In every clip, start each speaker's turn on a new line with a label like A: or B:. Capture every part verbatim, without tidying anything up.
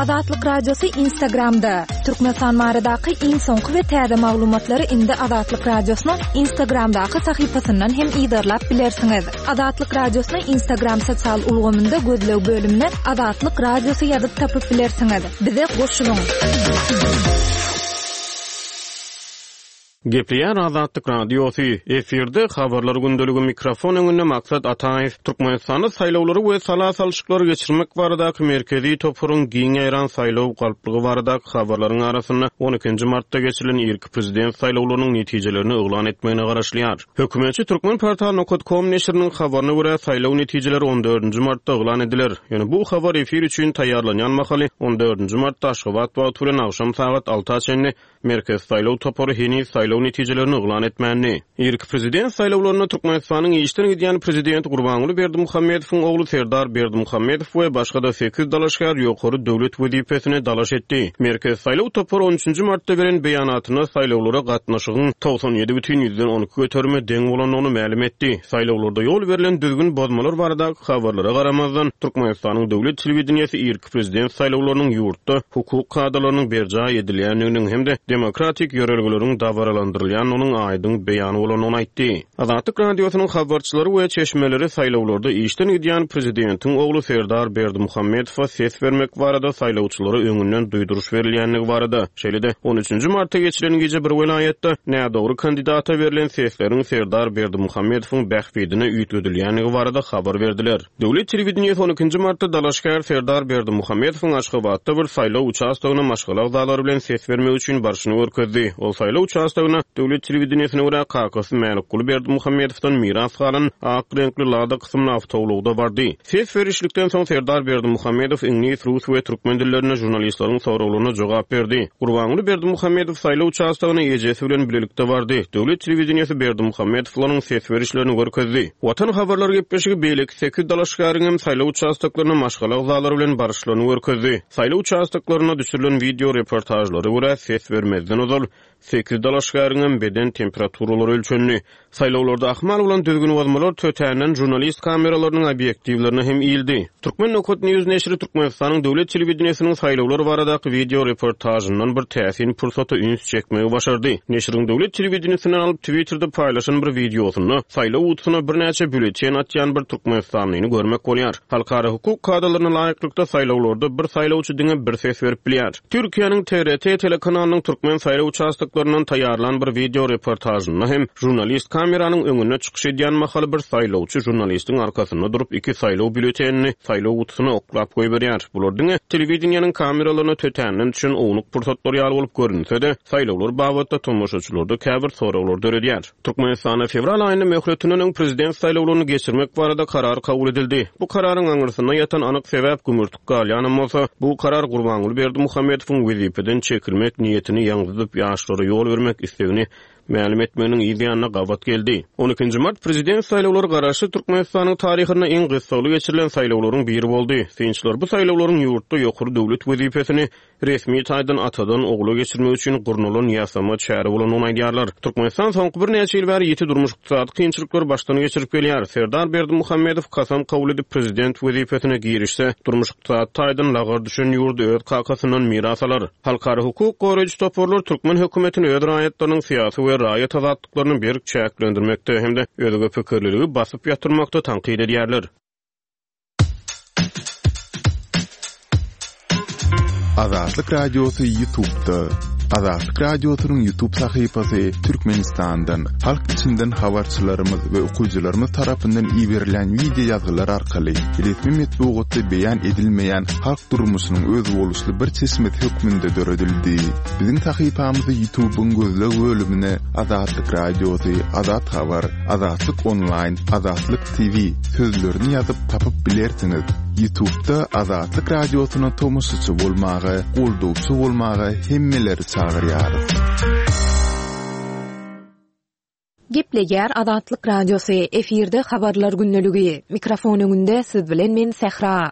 A: Azatlyk Radiosy Instagramda. Türkmenistan baradaky iň soňky we täze maglumatlary indi Azatlyk Radiosynyň Instagramdaky sahypasyndan hem yzarlap bilersiňiz. Azatlyk Radiosyny Instagram sosial ulgamynda gözleg bölümine Azatlyk Radiosy ýazyp tapyp bilersiňiz. Bize goşulyň.
B: Gepleýär Azatlyk Radiosy. Efirde habarlar gündeligi mikrofon öňünde Maksat Ataýew. Türkmenistanda saýlawlary we sala salşyklary geçirmek baradaky merkezi toparyň giň ýaýran saýlaw galplygy baradaky habarlaryň arasynda on ikinji martda geçirilen irki prezident saýlawlarynyň netijelerini yglan etmegine garaşylýar. Hökümetçi Turkmenportal nokta com neşiriniň habaryna görä saýlaw netijeleri on dördünji martda yglan ediler. Ýöne bu habar efir üçin taýýarlanýan mahaly on dördünji martda Aşgabat wagty bilen agşam sagat alta çenli Merkez saýlaw topary heniz saýlaw netijelerini yglan etmändi. Irki prezident saýlawlarynda Türkmenistanyň işden gidýän prezidenti Gurbanguly Berdimuhamedowyň ogly Serdar Berdimuhamedow we başga-da sekiz dalaşgär ýokary döwlet wezipesine dalaş etdi. Merkez saýlaw topary on üçünji martda beren beýanatynda saýlawlara gatnaşygyň togsan ýedi bütin ýüzden on iki göterime deň bolandygyny mälim etdi. Saýlawlarda ýol berlen düzgün bozmalar baradaky habarlara garamazdan Türkmenistanyň döwlet telewideniýesi irki prezident saýlawlarynyň ýurtda hukuk kadalarynyň berjaý edilýändiginiň hem-de demokratik ýörelgeleriň dabaralandyrylýandygynyň aýdyň beýany bolandygyny aýtdy. Azatlyk Radiosynyň habarçylary we çeşmeleri saýlawlarda işden gidýän prezidentiň ogly Serdar Berdimuhamedowa ses bermek barada saýlawçylara öňünden duýduryş berilýändigi barada, şeýle-de on üçünji martda geçilen gije bir welaýatda nädogry kandidata berlen sesleriň Serdar Berdimuhamedowyň bähbidine üýtgedilýändigi barada habar berdiler. Döwlet telewideniýesi on ikinji martda dalaşgär Serdar Berdimuhamedowyň Aşgabatda bir saýlaw uçastogyna maşgala agzalary bilen ses bermek üçin barşyny görkezdi. Ol saýlaw uçastogyna döwlet telewideniýesine görä kakasy Mälikguly Berdimuhamedowdan miras galan ak reňkli Lada kysymly awtoulagda bardy. Ses berişlikden soň Serdar Berdimuhamedow iňlis, rus we türkmen dillerinde žurnalistleriň soraglaryna jogap berdi. Gurbanguly Berdimuhamedow saýlaw uçastogyna ejesi bilen bilelikde bardy. Döwlet telewideniýesi Berdimuhamedowlaryň ses berişlerini görkezdi. Watan habarlar gepleşigi beýleki sekiz dalaşgäriň hem saýlaw uçastoklaryna maşgala agzalary bilen baryşlaryny görkezdi. Saýlaw uçastoklaryna düşürilen video reportajlara görä ses bermezden ozal sekiz dalaşgäriň hem beden temperaturalary ölçendi. Saýlawlarda ahmal bolan düzgün bozmalar tötänden žurnalist kameralarynyň obýektiwlerine hem iýildi. Turkmen nokta News neşiri Türkmenistanyň döwlet telewideniýesiniň saýlawlar baradaky video reportajyndan bir täsin pursata üns çekmegi başardy. Neşiriň döwlet telewideniýesinden alyp Twitterde paýlaşan bir videosunda saýlaw gutusyna birnäçe bülten atýan bir Türkmenistanlyny görmek bolýar. Halkara hukuk kadalaryna laýyklykda saýlawlarda bir saýlawçy diňe bir ses berip bilýär. Türkiýäniň T R T telekanalynyň Türkmen saýlaw uçastoklaryndan taýýarlan bir video reportajynda hem žurnalist kameranyň öňünde çykyş edýän mahaly bir saýlawçy žurnalistiň arkasynda durup iki saýlaw bültenini saýlaw gutusyna oklap goýberýär. Bular diňe telewideniýäniň kameralaryna tötänden düşen ownuk pursatlar ýaly bolup görünse-de, saýlawlar babatda tomaşaçylarda käbir soraglar döredýär. Türkmenistanda fewral aýynda möhletinden öň prezident saýlawlaryny geçirmek barada karar kabul edildi. Bu kararyň aňyrsynda ýatan anyk sebäp gümürtik galýanam bolsa, bu karar Gurbanguly Berdimuhamedowyň wezipeden çekilmek niýetini ýaňzydyp ýaşlara ýol bermek istegini mälim etmeginiň yz ýanyna gabat geldi. on ikinji mart prezident saýlawlary garaşsyz Türkmenistanyň taryhynda iň gyssagly geçirilen saýlawlaryň biri boldy. Synçylar bu saýlawlaryň ýurtda ýokary döwlet wezipesini resmi taýdan atadan ogula geçirmek üçin gurnalan ýasama çäre bolandygyny aýdýarlar. Türkmenistan soňky birnäçe ýyl bäri ýiti durmuş ykdysady kynçylyklary başdan geçirip gelýär. Serdar Berdimuhamedow kasam kabul edip prezident wezipesine girişse, durmuş ykdysady taýdan lagar düşen ýurdy öz kakasyndan miras alar. Halkara hukuk goraýjy toparlar türkmen hökümetini öz raýatlarynyň syýasy we raýat azatlyklaryny berk çäklendirmekde hem-de özge pikirliligi basyp ýatyrmakda tankyt edýärler.
C: Azatlyk Radiosy YouTube'da. Azatlyk Radiosynyň YouTube sahypasy Türkmenistandan, halk içinden habarçylarymyz we okyjylarymyz tarapyndan iberilen video ýazgylar arkaly resmi metbugatda beýan edilmeýän halk durmuşynyň özboluşly bir çeşmesi hökmünde döredildi. Biziň sahypamyzy YouTube'yň gözleg bölümine Azatlyk Radiosy, Azat Habar, Azatlyk Online, Azatlyk T V sözlerini ýazyp tapyp bilersiňiz. YouTube'da Azatlyk Radiosyna tomaşaçy bolmaga, goldawçy bolmaga hemmeleri çagyrýarys.
A: Gepleýär Azatlyk Radiosy, efirde habarlar gündeligi. Mikrofon öňünde siz bilen men Sähra.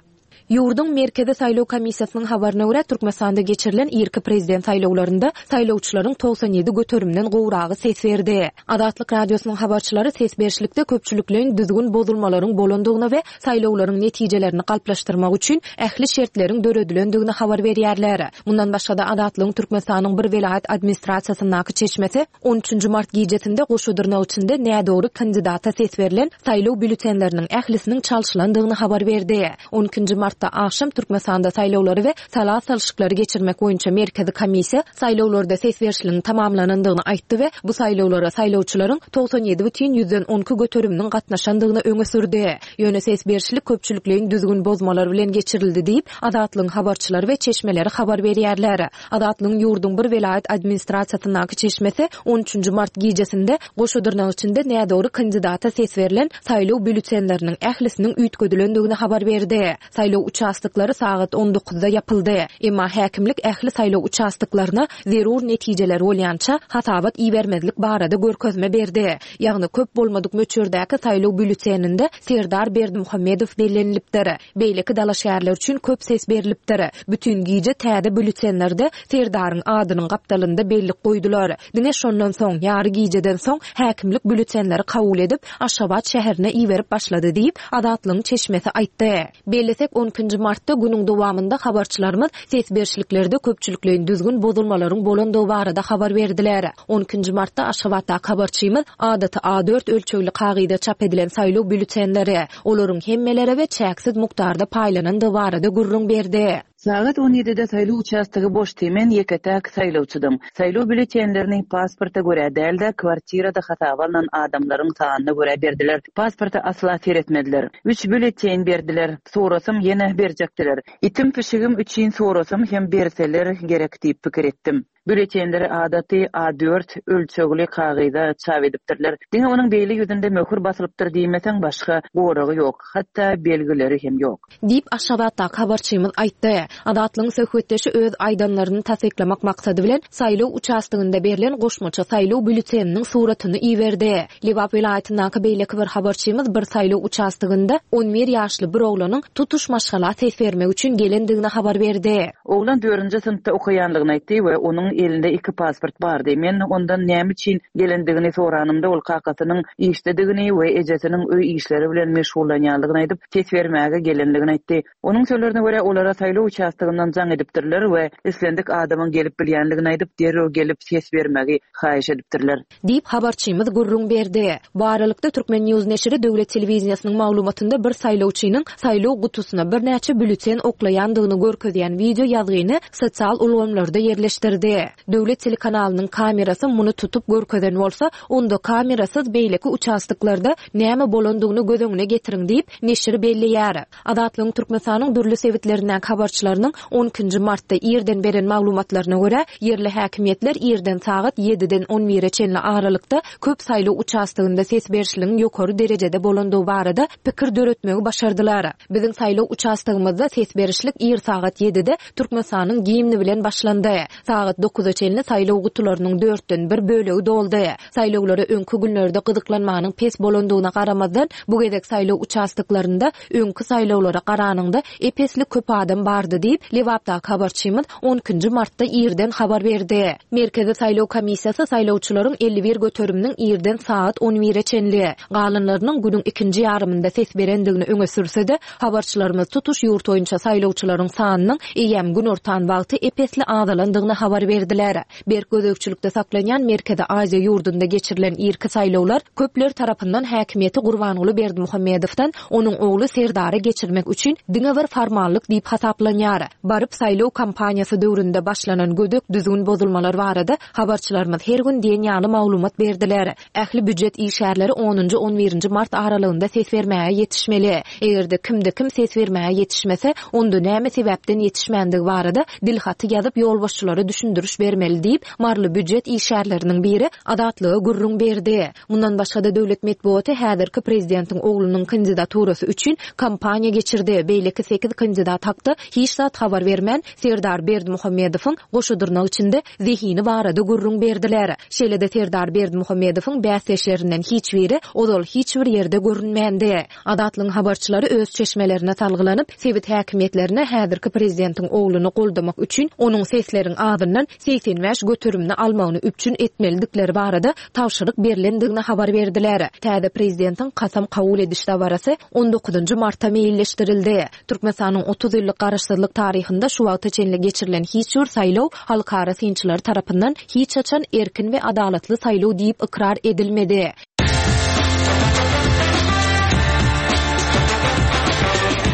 A: Ýurduň Merkezi saýlaw komissiýasynyň habaryna görä, Türkmenistanda geçirilen irki prezident saýlawlarynda saýlawçylaryň togsan ýedi göterimden gowragy ses berdi. Azatlyk Radiosynyň habarçylary ses berişlikde köpçülikleýin düzgün bozulmalaryň bolandygyny we saýlawlaryň netijelerini galplaşdyrmak üçin ähli şertleriň döredilendigini habar berýärler. Mundan başga-da Azatlygyň Türkmenistanyň bir welaýat administrasiýasyndaky çeşmesi on üçünji mart gijesinde goşa dyrnak içinde nädogry kandidata ses berlen saýlaw býulletenleriniň ählisiniň çalşylandygyny habar berdi. On ikinji martda agşam Türkmenistanda saýlawlary we sala salşyklary geçirmek boýunça merkezi komissiýa saýlawlarda ses berişligiň tamamlanandygyny aýtdy we bu saýlawlara saýlawçylaryň togsan ýedi bütin ýüzden on iki göteriminiň gatnaşandygyny öňe sürdi. Ýöne ses berişlik köpçülikleýin düzgün bozmalar bilen geçirildi diýip, Azatlygyň habarçylary we çeşmeleri habar berýärler. Azatlygyň ýurduň bir welaýat administrasiýasyndaky çeşmesi on üçünji mart gijesinde goşa dyrnak içinde nädogry kandidata ses berlen saýlaw býulletenleriniň ählisiniň üýtgedilendigini habar berdi. Saýlaw uçastoklary sagat on dokuzda ýapyldy. Emma häkimlik ähli saýlaw uçastoklaryna zerur netijeler bolýança hasabat ibermezlik barada görkezme berdi. Ýagny köp bolmadyk möçberdäki saýlaw býulleteninde Serdar Berdimuhamedow bellenilipdir. Beýleki dalaşgärler üçin köp ses berilipdir. Bütün gije täze býulletenlerde Serdaryň adynyň gapdalynda bellik goýdular. Diňe şondan soň, ýary gijeden soň häkimlik býulletenleri kabul edip, Aşgabat şäherine iberip başlady diýip, Azatlygyň çeşmesi aýtdy. Bellesek on ikinji martda günüň dowamynda habarçylarymyz ses berişliklerde köpçülikleýin düzgün bozulmalaryň bolandygy barada habar berdiler. On ikinji martda Aşgabatdaky habarçymyz adaty A dört ölçegli kagyza çap edilen saýlaw býulletenleri, olaryň hemmelere we çäksiz mukdarda paýlanandygy barada gürrüň berdi.
D: Sagat on ýedide saýlaw uçastogy boşdy, men ýeke-täk saýlawçydym. Saýlaw býulletenlerini pasporta görä däl-de, kwartirada hasaba alnan adamlaryň sanyna görä berdiler. Pasporta asla seretmediler. Üç býulleten berdiler. Sorasym ýene berjekdiler. Itim pişigim üçin sorasym hem berseler gerek diýip pikir etdim. Býulletenleri adaty A dört ölçegli kagyza çap edipdirler. Diňe onuň beýle ýüzünde möhür basylypdyr diýmeseň başga goragy ýok, hatda belgileri hem ýok.
A: Diýip Aşgabatdaky habarçymyz aýtdy. Azatlygyň söhbetdeşi öz aýdanlaryny tassyklamak maksady bilen saýlaw uçastogynda berlen goşmaça saýlaw býulleteniniň suratyny iberdi. Lebap welaýatyndaky beýleki bir habarçymyz bir saýlaw uçastogynda on bir ýaşly bir oglanyň tutuş maşgala ses bermek üçin gelendigini habar berdi.
D: Oglan dördünji synpda okaýanlygyny aýtdy we onuň elinde iki pasport bardy. Men ondan näme üçin gelendigini soranymda ol kakasynyň işdedigini we ejesiniň öý işleri bilen meşgullanýanlygyny aýdyp, ses bermäge gelenligini aýtdy. Onuň sözlerine görä olara saýlaw uçastogyndan jaň edipdirler we islendik adamyň gelip bilýänligini aýdyp, derrew gelip ses bermegi haýyş edipdirler.
A: Diýip habarçymyz gürrüň berdi. Bu aralykda Türkmen News neşiri döwlet telewiziýasynyň maglumatynda bir saýlawçynyň saýlaw gutusyna birnäçe býulleten oklaýandygyny görkezýän wideo ýazgyny sosial ulgamlarda ýerleşdirdi. Döwlet telekanalynyň kamerasy muny tutup görkezen bolsa, onda kamerasyz beýleki uçastoklarda näme bolandygyny göz öňüne getiriň diýip neşir belleýär. Azatlygyň Türkmenistanyň dürli sebitlerinden habarçylarynyň on ikinji martda ýerden beren maglumatlaryna görä, ýerli häkimiýetler ýerden sagat ýediden on bire çenli aralykda köp saýlaw uçastogynda ses berişligiň ýokary derejede bolandygy barada pikir döretmegi başardylar. Biziň saýlaw uçastogymyzda ses berişlik ýer sagat ýedide Türkmenistanyň gimni bilen başlandy. Sagat dokuza çenli saýlaw gutularynyň dörtden bir bölegi doldy. Saýlawlara öňkü günlerde gyzyklanmanyň pes bolandygyna garamazdan, bu gezek saýlaw uçastoklarynda öňkü saýlawlara garanyňda epesli köp adam bardy diýip, Lebapdaky habarçymyz on ikinji martda ýerden habar berdi. Merkezi saýlaw komissiýasy saýlawçylaryň elli bir göteriminiň ýerden sagat on bire çenli, galanlarynyň günüň ikinji ýarymynda ses berendigini öňe sürse-de, habarçylarymyz tutuş ýurt boýunça saýlawçylaryň sanynyň eýýäm gün ortan wagty epesli azalandygyny habar berdiler. Berk gözegçilikde saklanýan Merkezi Aziýa ýurdunda geçirilen irki saýlawlar köpler tarapyndan häkimiýeti Gurbanguly Berdimuhamedowdan onuň ogly Serdara geçirmek üçin diňe bir formallyk diýip hasaplanýar. Baryp saýlaw kampaniýasy döwründe başlanan gödek düzgün bozulmalar barada habarçylarymyz her gün diýen ýaly maglumat berdiler. Ähli býujet işgärleri onunjy on birinji mart aralygynda ses bermäge ýetişmeli. Eger-de kimde kim ses bermäge ýetişmese, onda näme sebäpden ýetişmändigi barada dilhaty ýazyp ýolbaşçylara düşündiriş Düşündiriş bermeli diýip, Maryly býujet işgärleriniň biri Azatlyga gürrüň berdi. Mundan başga-da döwlet metbugaty häzirki prezidentiň oglunyň kandidaturasy üçin kampaniýa geçirdi. Beýleki sekiz kandidat hakda hiç zat habar bermän, Serdar Berdimuhamedowyň goşa dyrnak içinde zehini barada gürrüň berdiler. Şeýle-de Serdar Berdimuhamedowyň bäsdeşlerinden hiç biri ozal hiç bir ýerde görünmändi. Azatlygyň habarçylary öz çeşmelerine salgylanyp, sebit häkimiýetlerine häzirki prezidentiň ogluny goldamak üçin onuň sesleriň azyndan segsen bäş göterimini almagyny üpjün etmelidikleri barada tabşyryk berlendigini habar berdiler. Täze prezidentiň kasam kabul ediş dabarasy on dokuzynjy marta meýilleşdirildi. Türkmenistanyň otuz ýyllyk garaşsyzlyk taryhynda şu wagta çenli geçirilen hiç bir saýlaw halkara synçylary tarapyndan hiç haçan erkin we adalatly saýlaw diýip ykrar edilmedi.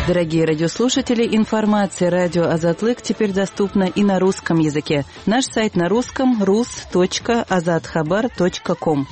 D: Дорогие радиослушатели, информация радио Азатлык теперь доступна и на русском языке. Наш сайт на русском рус точка азатхабар точка ком.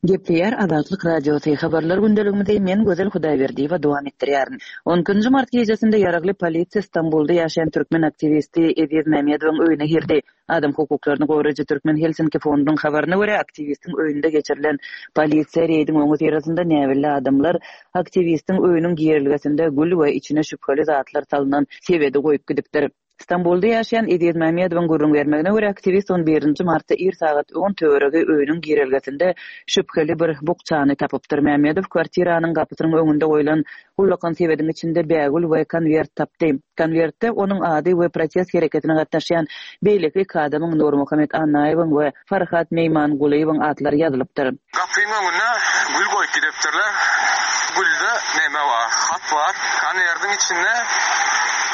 D: Gepleýär Azatlyk Radiosy habarlar gündeligimizi men Gözel Hudaýberdiýewa dowam etdirýärin. on ikinji mart gecesinde ýaragly polisiýa Stambulda ýaşaýan türkmen aktiwisti Eziz Mämmedowyň öýüne girdi. Adam hukuklaryny goraýjy Türkmen Helsinki fondunyň habaryna görä aktiwistiň öýünde geçirilen polisiýa reýdiň öňi syrasynda näbelli adamlar aktiwistiň öýüniň girelgesinde gül we içine şübheli zatlar salynan sebedi goýup gidipdir. Stambulda ýaşaýan Eziz Mämmedowyň gürrüň bermegine görä aktiwist on birinji martda ir sagat on töweregi öýüniň girelgesinde şübheli bir bukçany tapypdyr. Mämmedow kwartiranyň gapysynyň öňünde goýlan ullakan sebediň içinde bägül we konwert tapdy. Konwertde onuň ady we protest hereketine gatnaşýan beýleki iki adamyň Nurmuhammet Annaýewiň we Farhat Meýmangulyýewiň atlary ýazylypdyr.
E: Gapynyň öňüne gül goýup gidipdirler. Gülde näme bar? Hat bar. Konwertiň içinde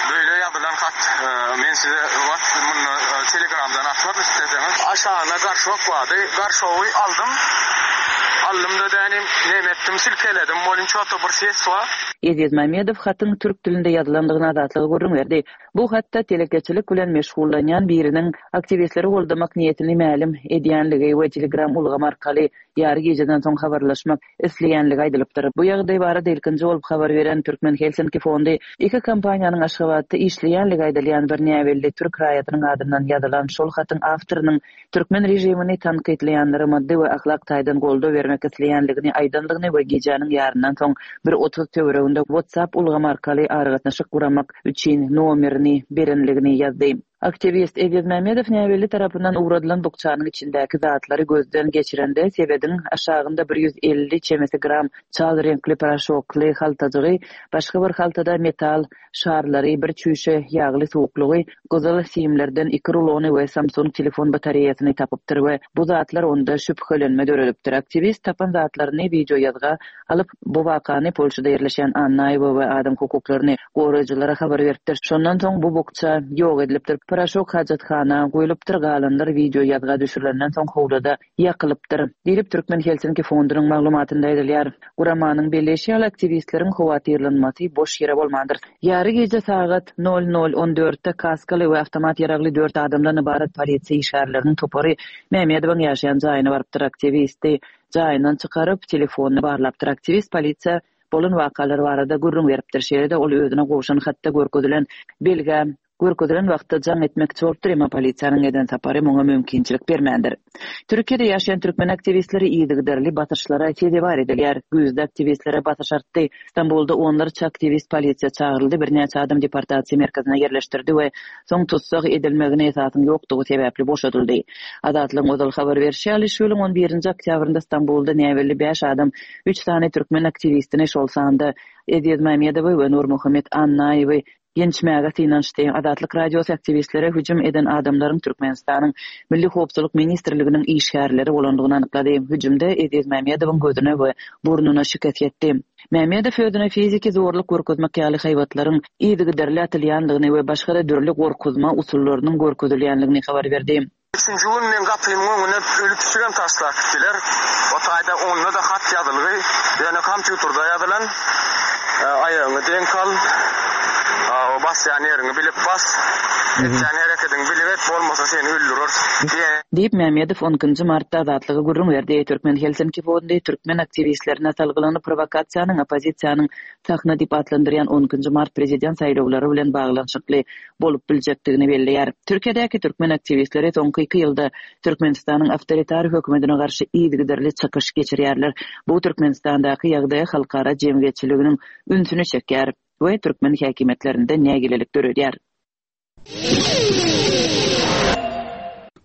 E: böyle ýazylan hat. Men size wagt muny Telegramdan atmak isteseňiz. Aşağına garşok bardy. Garşogy aldym. Aldym da dänim, näme etdim, silkeledim. Bolin çoto bir ses bar.
D: Eziz Mämmedow hatyň türk dilinde ýazylandygyny Azatlyga gürrüň berdi. Bu hatda telekeçilik bilen meşgullanýan biriniň aktiwistleri goldamak niýetini mälim edýänligi we Telegram ulgamy arkaly ýary geceden soň habarlaşmak isleýänligi aýdylypdyr. Bu ýagdaý barada ilkinji bolup habar beren Türkmen Helsinki fondy iki kompaniýanyň Aşgabatda işleýänligi aýdylýan bir näbelli türk raýatynyň adyndan ýazylan şol hatyň awtorynyň türkmen režimini tankytlaýanlara maddy we ahlak taýdan goldaw bermek isleýänligini aýdandygyny we gecäniň ýaryndan soň bir otuz töwereginde WhatsApp ulgamy arkaly aragatnaşyk guramak üçin nomerini berenligini ýazdy. Aktiwist Eziz Mämmedow näbelli tarapyndan ugradylan bukçanyň içindäki zatlary gözden geçirende sebediň aşagynda bir ýüz elli çemesi gram çal reňkli paraşokly haltajygy, başga bir haltada metal şarlary, bir çüýşe ýagly suwuklygy, gyzyl simlerden iki rulony we Samsung telefon batareýasyny tapypdyr we bu zatlar onda şübhelenme döredipdir. Aktiwist tapan zatlaryny video ýazga alyp, bu wakany Polşada ýerleşen Annaýewa we adam hukuklaryny goraýjylara habar beripdir. Şondan soň bu bukça ýok edilipdir. Paraşok hajathana goýlupdyr, galanlar video ýazga düşürilenden soň howlada ýakylypdyr. Diýip Türkmen Helsinki fondunyň maglumatynda aýdylýar. Guramanyň belleşi ýaly aktiwistleriň howatyrlanmasy boş ýere bolmandyr. Ýary gece sagat nol nol on dörtde kaskaly we awtomat ýaragly dört adamdan ybarat polisiýa işgärleriniň topary Mämmedowyň ýaşaýan jaýyna barypdyr. Aktiwisti jaýyndan çykaryp telefonyny barlapdyr. Aktiwist polisiýa bolan wakalar barada gürrüň beripdir. Şeýle-de ol özüne gowşan hatda görkezilen belgä görkezilen wagtda jaň etmekçi bolupdyr, emma polisiýanyň eden sapary muňa mümkinçilik bermändir. Türkiýede ýaşaýan türkmen aktiwistleri yzygiderli basyşlara sezewar edilýär. Güýzde aktiwistlere basyş artdy. Stambulda onlarça aktiwist polisiýa çagyryldy, birnäçe adam deportasiýa merkezine ýerleşdirdi we soň tussag edilmegine esasyň ýokdugy sebäpli boşadyldy. Azatlygyň ozal habar berişi ýaly, şu ýylyň on birinji oktýabrynda Stambulda näbelli bäş adam üç sany türkmen aktiwistini, şol sanda Eziz Mämmedowy we Nurmuhammet Annaýewi ýençmäge synanyşdy. Azatlyk Radiosy aktiwistlere hüjüm eden adamlaryň Türkmenistanyň Milli Howpsuzlyk Ministrliginiň işgärleri bolandygyny anyklady. Hüjümde Eziz Mämmedowyň gözüne we burnuna şikes ýetdi. Mämmedow özüne fiziki zorluk görkezmek ýaly haýbatlaryň yzygiderli atylýandygyny we başga dürli gorkuzma usullarynyň görkezilýändigini habar berdi.
E: Üçünji gün men gapymyň öňüne ölüp pişigem taşlap gitdiler. O taýda onda da hat ýazylgy, ýöne kompýuterde ýazylan. E, aýagyňy deň kal. A, o Basýan ýeriňi bilip bas. Etýän hereketiňi bilip et, bolmasa seni öldüreris diýen.
D: Diýip, Mämmedow on ikinji martda Azatlyga gürrüň berdi. Türkmen Helsinki Fondy türkmen aktiwistlerine salgylanyp prowokasiýanyň oppozisiýanyň sahna diýip atlandyrýan on ikinji mart prezident saýlawlary bilen baglanyşykly bolup biljekdigini belleýär. Türkiýedäki türkmen aktiwistleri soňky iki ýylda Türkmenistanyň awtoritar hökümetine garşy yzygiderli çykyş geçirýärler. Bu Türkmenistandaky ýagdaýa halkara jemgyýetçiliginiň ünsüni çekýär we türkmen häkimiýetlerinde nägilelik döredýär.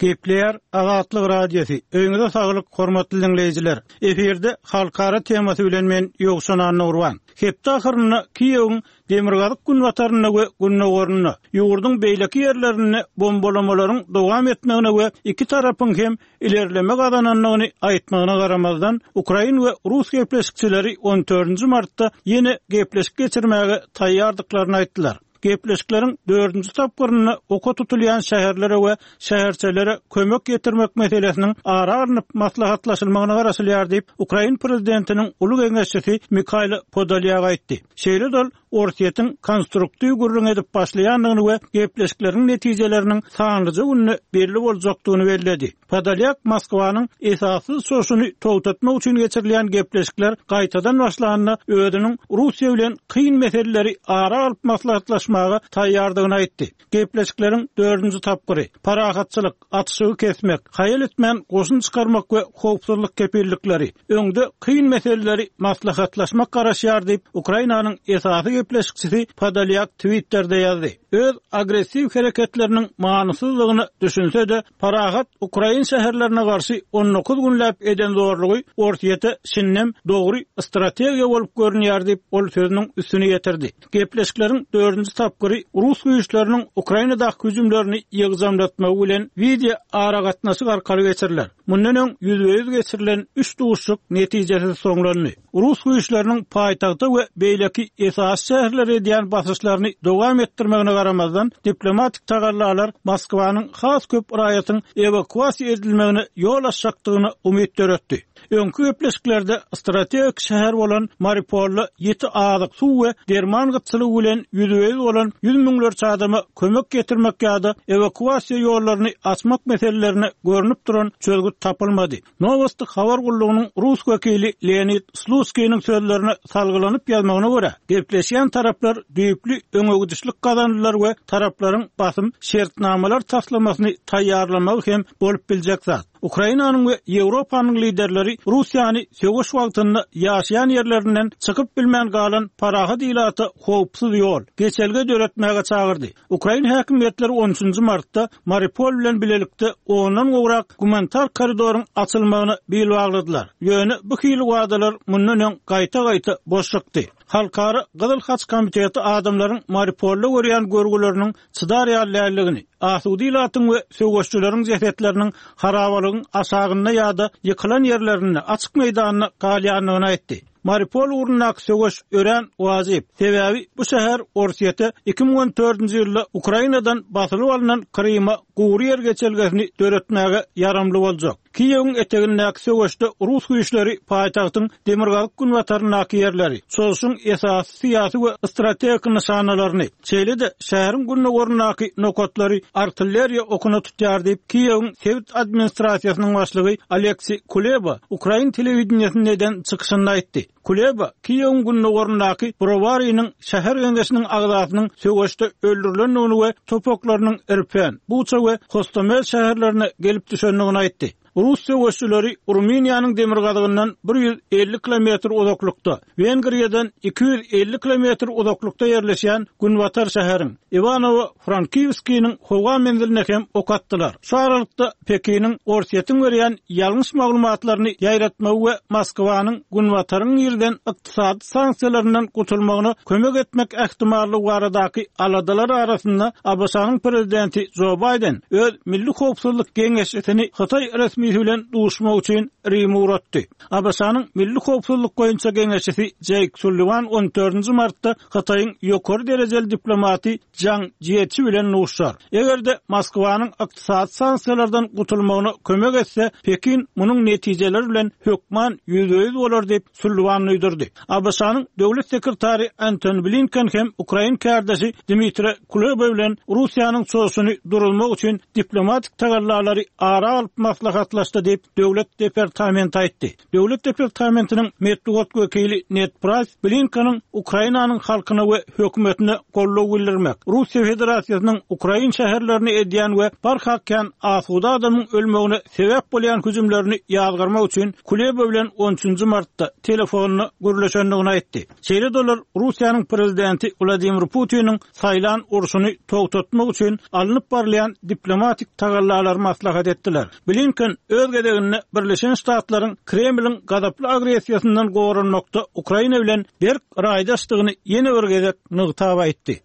F: Gepleýär Azatlyk Radiosy. Öýüňize saglyk, hormatly dinleýjiler. Efirde halkara temasy bilen men Ýowşan Annagurban. Hepde ahyrynda Kiýewiň demirgazyk günbatarynda we gündogarynda ýurduň beýleki ýerlerinde bombalamalaryň dowam etmegine we iki tarapyň hem ilerleme gazanandygyny aýtmagyna garamazdan, Ukrain we Rus gepleşikçileri on dördünji martda ýene gepleşik geçirmäge taýýardyklaryny aýtdylar. Gepleşikleriň dördünji tapgyrynda oka tutulýan şäherlere we şäherçelere kömek getirmek meselesiniň ara alnyp maslahatlaşylmagyna garaşylýar diýip, Ukrain prezidentiniň uly geňeşçisi Mikhail Podolyak aýtdy. Şeýle-de ol Orsýetiň konstruktiw gürrüň edip başlaýandygyny we gepleşikleriň netijeleriniň sanlyja günde belli boljakdygyny belledi. Podolyak Moskwanyň esassyz çoşuny togtatmak üçin geçirilýän gepleşikler gaýtadan başlanda özüniň Russiýa bilen kyn meseleleri ara alyp maslahatlaşmaga taýýardygyny aýtdy. Gepleşikleriň dördünji tapgyry parahatçylyk, atyşygy kesmek, haýal etmän goşun çykarmak we howpsuzlyk kepillikleri, öňde kyn meseleleri maslahatlaşmak garaşýar diýip, Ukrainanyň esasy gepleşikçisi Podolyak Twitter'de ýazdy. Öz agressiw hereketleriniň manysyzlygyny düşünse-de, parahat Ukrain şäherlerine garşy on dokuz günläp eden zorlugy Orsýete şindem dogry strategiýa bolup görünýär diýip, ol sözüniň üstüne ýetirdi. Gepleşikleriň dördünji tapgyry Rus güýçleriniň Ukrainadaky hüjümlerini ýygjamlatmagy bilen wideo aragatnaşyk arkaly geçiriler. Mundan öň ýüzbe-ýüz geçirilen üç duşuşyk netijesiz soňlandy. Rus güýçleriniň paýtagta we beýleki esasy şäherlere edýän basyşlaryny dowam etdirmegine garamazdan, diplomatik tagallalar Moskwanyň has köp raýatyň ewakuasiýa edilmegine ýol açjakdygyna umyt döretdi. Öňki gepleşiklerde strategik şäher bolan Mariupolda ýeti azyk, suw we derman gytçylygy bilen ýüzbe-ýüz bolan ýüz müňlerçe adama kömek getirmek ýa-da ewakuasiýa ýollaryny açmak meselelerine görünip duran çözgüt tapylmady. Nowosti habar gullugynyň rus wekili Leonid Slutskiniň sözlerine salgylanyp ýazmagyna görä, gepleşýän taraplar düýpli öňegidişlik gazandylar we taraplaryň basym şertnamalar taslamasyny taýýarlamagy hem bolup biljek zat. Ukrainanyň we Ýewropanyň liderleri Russiýany söweş wagtynda ýaşaýan ýerlerinden çykyp bilmän galan parahat ilata howpsuz ýol, geçelge döretmäge çagyrdy. Ukrain häkimiýetleri on üçünji martda Mariupol bilen bilelikde ondan gowrak gumanitar koridoryň açylmagyna bil bagladylar. Ýöne bu hili wadalar mundan öň gaýta-gaýta boş çykdy. Halkara Gyzyl Haç komiteti adamlaryň Mariupolda görýän görgüleriniň çydar ýaly asuda ilatyň we söweşçileriň jesetleriniň harabalygyň aşagynda ýa-da ýykylan ýerlerinde açyk meýdanda galýandygyny aýtdy. Mariupol ugrundaky söweş örän wajyp. Sebäbi bu şäher Orsýete iki müň on dördünji ýylda Ukrainadan basylyp alnan Kryma gury ýer geçelgesini döretmäge ýaramly boljak. Kiýewiň etegindäki söweşde Rus güýçleri paýtagtyň demirgazyk günbataryndaky ýerleri, çoşuň esasy syýasy we strategik nyşanalaryny, şeýle-de şäheriň gündogaryndaky nokatlary artilleriýa okuna tutýar diýip, Kiýewiň sebit administrasiýasynyň başlygy Aleksiý Kuleba Ukrain telewideniýesinde eden çykyşynda aýtdy. Kuleba Kiýewiň gündogaryndaky Browarynyň şäher geňeşiniň agzasynyň söweşde öldürilendigini we topaklarynyň Irpen, Buça we Hostomel şäherlerine gelip düşendigini aýtdy. Rus söweşçileri Rumyniýanyň demirgazygyndan bir ýüz elli kilometr uzaklykda, Wengriýadan iki ýüz elli kilometr uzaklykda ýerleşýän Günbatar şäheriň Iwanowo-Frankivskiniň howa menziline hem ok atdylar. Şu aralykda Pekiniň Orsýetiň berýän ýalňyş maglumatlaryny ýaýratmagy we Moskwanyň Günbataryň ýerden ykdysady sanksiýalaryndan gutulmagyna kömek etmek ähtimallygy baradaky aladalar arasynda A B Ş-nyň prezidenti Joe Biden öz milli howpsuzlyk geňeşçisini Hytaý resmi resmisi bilen duşmak üçin Rime ugratdy. ABŞ-nyň Milli howpsuzlyk boýunça geňeşçisi Jeýk Sulliwan on dördünji martda Hytaýyň ýokary derejeli diplomaty Zhang Jieçi bilen duşar. Eger-de Moskwanyň ykdysady sanksiýalardan gutulmagyna kömek etse, Pekin munuň netijeleri bilen hökman ýüzbe-ýüz bolar diýip Sulliwan duýdurdy. ABŞ-nyň döwlet sekretary Antony Blinken hem Ukrain kärdeşi Dmitri Kuleba bilen Russiýanyň çoşuny durulmak üçin diplomatik tagallalary ara alyp maslahatlaşdy diýip döwlet departamenti aýtdy. Döwlet departamentiniň metbugat wekili Ned Price Blinkeniň Ukrainanyň halkyna we hökümetine goldaw bildirmek, Russiýa Federasiýasynyň Ukrain şäherlerini edýän we barha kän asuda adamyň ölmegine sebäp bolýan hüjümlerini ýazgarmak üçin Kuleba bilen on üçünji martda telefonda gürleşendigini aýtdy. Şeýle dolar Russiýanyň prezidenti Wladimir Putiniň saýlan urşuny togtatmak üçin alnyp barylýan diplomatik tagallalary maslahat etdiler. Blinken öz gezeginde Birleşen Ştatlaryň Kremliň gazaply agressiýasyndan goranmakda Ukraina bilen berk raýdaşdygyny ýene bir gezek nygtap aýtdy.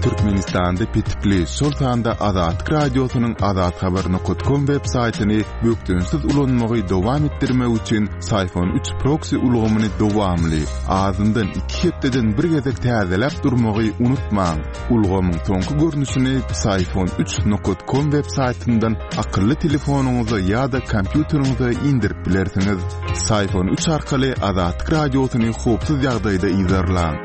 C: Türkmenistanda petikli, şol sanda Azatlyk Radiosynyň azathabar nokta com web saýtyny bökdençsiz ulanmagy dowam etdirmek üçin Syfon üç proxy ulgamyny dowamly, azyndan iki hepdeden bir gezek täzeläp durmagy unutmaň. Ulgamyň soňky görnüşini Syfon üç nokta com web saýtyndan akylly telefonyňyza ýa-da kompýuteriňize indirip bilersiňiz. Syfon üç arkaly Azatlyk Radiosyny howpsuz ýagdaýda yzarlaň.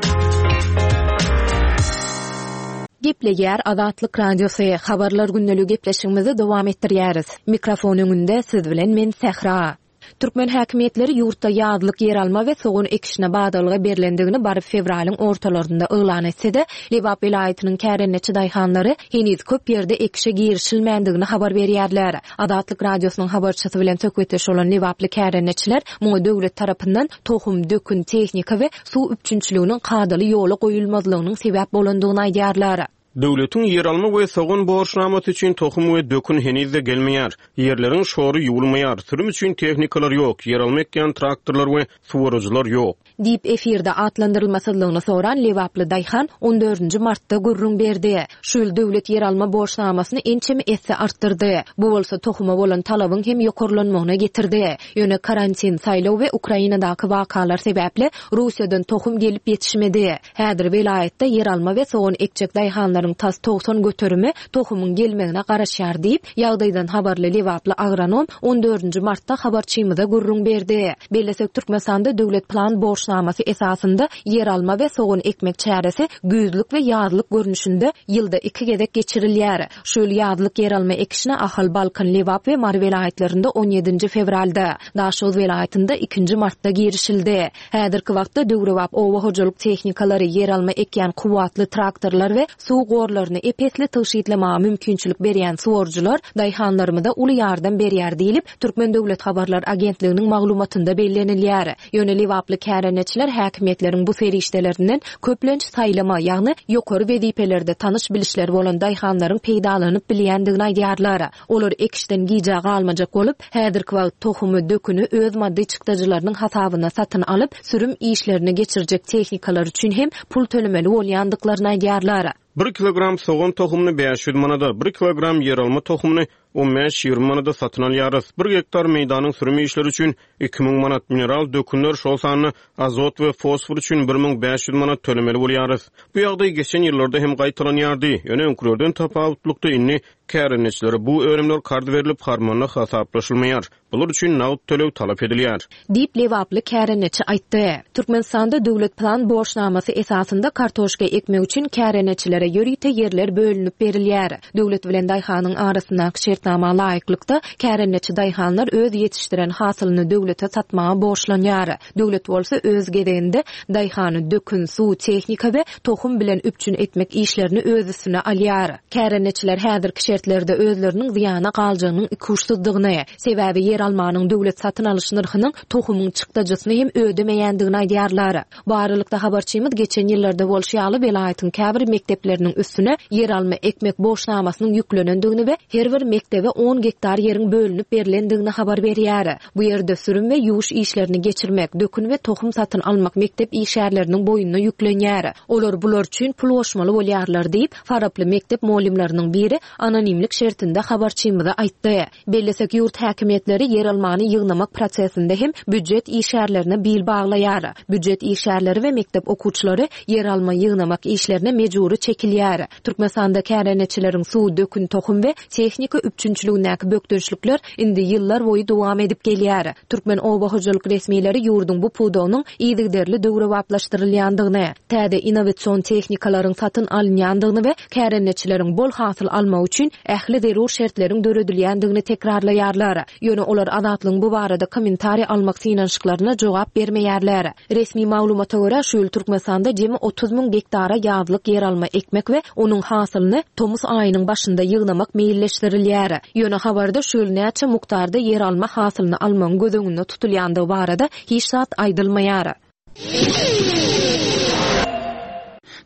A: Gepleýär Azatlyk Radiosy. Habarlar gündelik gepleşigimizi dowam etdirýäris. Mikrofon öňünde siz bilen men Sähra. Türkmen häkimiýetleri ýurtda ýazlyk ýer alma we sogan ekişine badalga berlendigini baryp fewralyň ortalarynda yglan etse-de, Lebap welaýatynyň kärendeçi daýhanlary heniz köp ýerde ekişe girişilmändigini habar berýärler. Azatlyk Radiosynyň habarçysy bilen söhbetdeş bolan Lebaply kärendeçiler muňa döwlet tarapyndan tohum, dökün, tehnika we suw üpjünçiliginiň kadaly ýola goýulmazlygynyň sebäp bolandygyny aýdýarlar.
B: Döwletiň ýer alma we sogan borçnamasy üçin tohum we dökün henizde gelmeýär. Ýerleriň şory ýuwulmaýar, sürüm üçin tehnikalar ýok, ýer alma ekýän traktorlar we suwaryjylar ýok.
A: Diýip efirde atlandyrylmasyzlygyny soran Lebaply daýhan on dördünji martda gürrüň berdi. Şu ýyl döwlet ýer alma borçnamasyny ençeme esse artdyrdy. Bu bolsa tohuma bolan talabyň hem ýokarlanmagyna getirdi. Ýöne karantin, saýlaw we Ukrainadaky wakalar sebäpli Russiýadan tohum gelip ýetişmedi. Häzir welaýatda ýer alma we sogan ekjek daýhanlaryň tas togsan göterimi tohumyň gelmegine garaşýar diýip, ýagdaýdan habarly Lebaply agronom on dördünji martda habarçymyza gürrüň berdi. Bellesek Türkmenistanda döwlet plan borçnamasy esasynda ýer alma we sogan ekmek çäresi güýzlük we ýazlyk görnüşinde ýylda iki gezek geçirilýär. Şu ýyl ýazlyk ýer alma ekişine Ahal, Balkan, Lebap we Mary welaýatlarynda on ýedinji fewralda, Daşoguz welaýatynda ikinji martda girişildi. Häzirki wagtda döwrebap oba hojalyk tehnikalary, ýer alma ekýän kuwwatly traktorlar we suw gorlaryny epesli tygşytlamaga mümkinçilik berýän suwarjylar daýhanlarymyza uly ýardam berýär diýlip, Türkmen Döwlet Habarlar Agentliginiň maglumatynda bellenilýär. Ýöne Lebaply kärendeçiler häkimiýetleriň bu serişdelerinden köplenç saýlama, ýagny ýokary wezipelerde tanyş bilişler bolan daýhanlaryň peýdalanyp bilýändigini aýdýarlar. Olar ekişden gijä galmajak bolup, häzirki wagt tohumy, döküni öz maddy çykdajylarynyň hasabyna satyn alyp, sürüm işlerini geçirjek tehnikalar üçin hem pul tölemeli bolýandyklaryny aýdýarlar.
B: Bir kilogram sogan tohumyny bäş ýüz manada, bir kilogram ýer alma tohumyny on bäş ýigrimi manada satyn alýarys. Bir gektar meýdanyň sürüm işleri üçin iki müň manat mineral dökünler, şol sanda azot we fosfor üçin bir müň bäş ýüz manat tölemeli bolýarys. Bu ýagdaý geçen ýyllarda hem gaýtalanýardy. Ýöne öňkülerden tapawutlykda indi kärendeçilere bu önümler karz berilip harmanda hasaplaşylmaýar. Bular üçin nagt töleg talap edilýär.
A: Diýip Lebaply kärendeçi aýtdy. Türkmenistanda döwlet plan borçnamasy esasynda kartoşka ekmek üçin kärendeçilere ýörite ýerler bölünip berilýär. Döwlet bilen daýhanyň arasyndaky şertnama laýyklykda kärendeçi daýhanlar öz ýetişdiren hasylyny döwlete satmaga borçlanýar. Döwlet bolsa öz gezeginde daýhany dökün, suw, tehnika we tohum bilen üpjün etmek işlerini öz üstüne alýar. Kärendeçiler häzirki şertlerde özleriniň zyýana galjagynyň ikuçsuzdygyny, sebäbi ýer almanyň döwlet satyn alyş nyrhynyň tohumyň çykdajysyny hem ödemeýändigini aýdýarlar. Bu aralykda habarçymyz geçen ýyllarda bolşy ýaly welaýatyň käbir mekdepleriniň üstüne ýer alma ekmek borçnamasynyň ýüklenendigini we her bir mekdep mekdebe on gektar ýeriň bölünip berlendigini habar berýär. Bu ýerde sürüm we ýuwuş işlerini geçirmek, dökün we tohum satyn almak mekdep işgärleriniň boýnuna ýüklenýär. Olar bular üçin pul goşmaly bolýarlar diýip, faraply mekdep mugallymlarynyň biri anonimlik şertinde habarçymyza aýtdy. Bellesek, ýurt häkimiýetleri ýeralmany ýygnamak prosesinde hem býujet işgärlerine bil baglaýar. Býujet işgärleri we mekdep okuwçylary ýeralma ýygnamak işlerine mejbury çekilýär. Türkmenistanda kärendeçileriň suw, dökün, tohum we tehnika üpjünçiligindäki bökdençlikler indi ýyllar boýy dowam edip gelýär. Türkmen oba hojalyk resmileri ýurduň bu pudagynyň yzygiderli döwrebaplaşdyrylýandygyny, täze innowasion tehnikalaryň satyn alynýandygyny we kärendeçileriň bol hasyl almagy üçin ähli zerur şertleriň döredilýändigini tekrarlaýarlar. Ýöne olar Azatlygyň bu barada kommentariý almak synanyşyklaryna jogap bermeýärler. Resmi maglumata görä, şu ýyl Türkmenistanda jemi otuz müň gektara ýazlyk ýeralma ekmek we onuň hasylyny tomus aýynyň başynda ýygnamak meýilleşdirilýär. Ýöne habarda şu ýyl näçe mukdarda ýeralma hasylyny almagyň göz öňünde tutulýandygy barada hiç zat aýdylmaýar.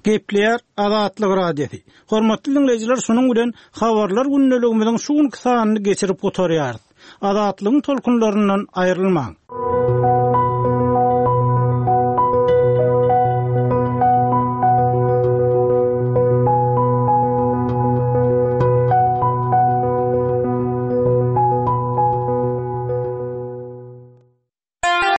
F: Gepleýär Azatlyk Radiosy. Hormatly dinleýjiler, şunuň bilen habarlar gündeligimiziň şu günki sanyny geçirip gutarýarys. Azatlygyň tolkunlaryndan aýrylmaň.